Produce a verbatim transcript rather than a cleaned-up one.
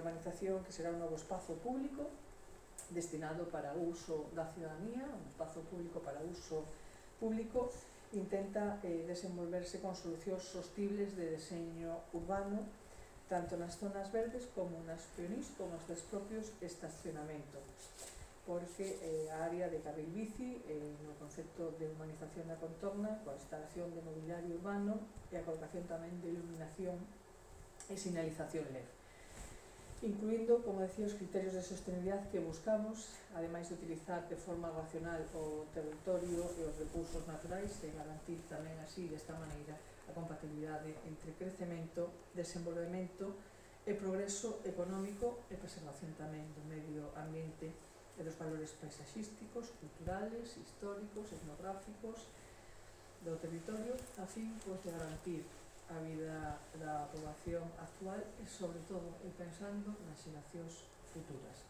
urbanización, que será un novo espazo público destinado para uso da ciudadanía, un espazo público para uso público, intenta eh, desenvolverse con solucións sostibles de deseño urbano, tanto nas zonas verdes como nas peonís, como nos dos propios estacionamentos, porque eh, a área de carril bici, eh, no concepto de urbanización da contorna, coa instalación de mobiliario urbano e a colocación tamén de iluminación e sinalización L E D, incluindo, como decía, os criterios de sostenibilidade que buscamos, ademais de utilizar de forma racional o territorio e os recursos naturais e garantir tamén así, desta maneira, a compatibilidade entre crecemento, desenvolvemento e progreso económico e preservación tamén do medio ambiente e dos valores paisaxísticos, culturales, históricos, etnográficos do territorio, a fin pois, de garantir a vida da poboación actual e, sobre todo, pensando nas xeracións futuras.